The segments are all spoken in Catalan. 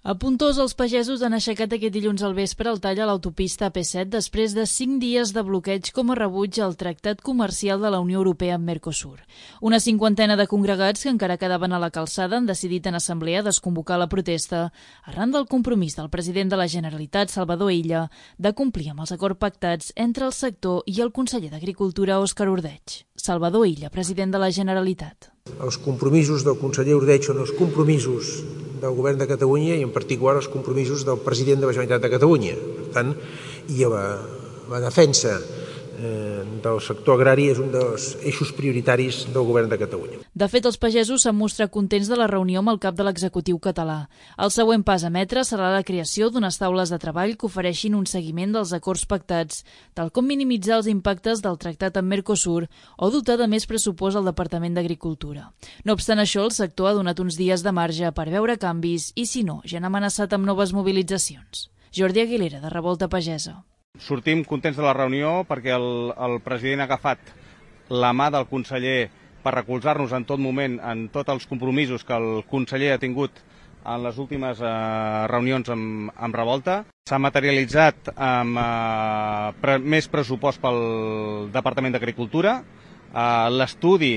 A Pontós, els pagesos han aixecat aquest dilluns al vespre el tall a l'autopista AP7 després de 5 dies de bloqueig com a rebuig al Tractat Comercial de la Unió Europea amb Mercosur. Una cinquantena de congregats que encara quedaven a la calçada han decidit en assemblea desconvocar la protesta arran del compromís del president de la Generalitat, Salvador Illa, de complir amb els acords pactats entre el sector i el conseller d'Agricultura, Òscar Ordeig. Salvador Illa, president de la Generalitat. Els compromisos del conseller Ordeig són els compromisos del govern de Catalunya i en particular els compromisos del president de la Generalitat de Catalunya. Per tant, i la defensa del sector agrari és un dels eixos prioritaris del govern de Catalunya. De fet, els pagesos s'han mostrat contents de la reunió amb el cap de l'executiu català. El següent pas a emetre serà la creació d'unes taules de treball que ofereixin un seguiment dels acords pactats, tal com minimitzar els impactes del tractat amb Mercosur o dotar de més pressupost al Departament d'Agricultura. No obstant això, el sector ha donat uns dies de marge per veure canvis i, si no, ja han amenaçat amb noves mobilitzacions. Jordi Aguilera, de Revolta Pagesa. Sortim contents de la reunió perquè el president ha agafat la mà del conseller per recolzar-nos en tot moment en tots els compromisos que el conseller ha tingut en les últimes reunions amb Revolta. S'ha materialitzat amb més pressupost pel Departament d'Agricultura. L'estudi,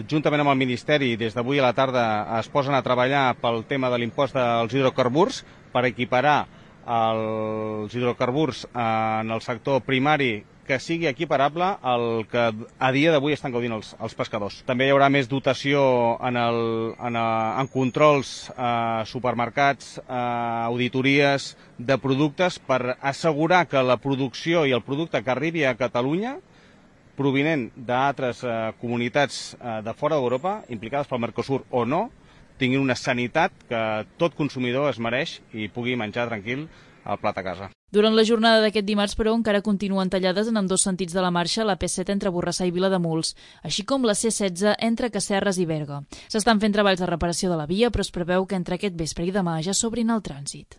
juntament amb el Ministeri, des d'avui a la tarda es posen a treballar pel tema de l'impost dels hidrocarburs per equiparar els hidrocarburs en el sector primari que sigui equiparable al que a dia d'avui estan gaudint els pescadors. També hi haurà més dotació en controls, supermercats, auditories de productes per assegurar que la producció i el producte que arribi a Catalunya provinent d'altres comunitats de fora d'Europa, implicades pel Mercosur o no, tinguin una sanitat que tot consumidor es mereix i pugui menjar tranquil al plat a casa. Durant la jornada d'aquest dimarts, però, encara continuen tallades en ambdós sentits de la marxa la P7 entre Borrassà i Vilademuls, així com la C16 entre Casserres i Berga. S'estan fent treballs de reparació de la via, però es preveu que entre aquest vespre i demà ja s'obrin el trànsit.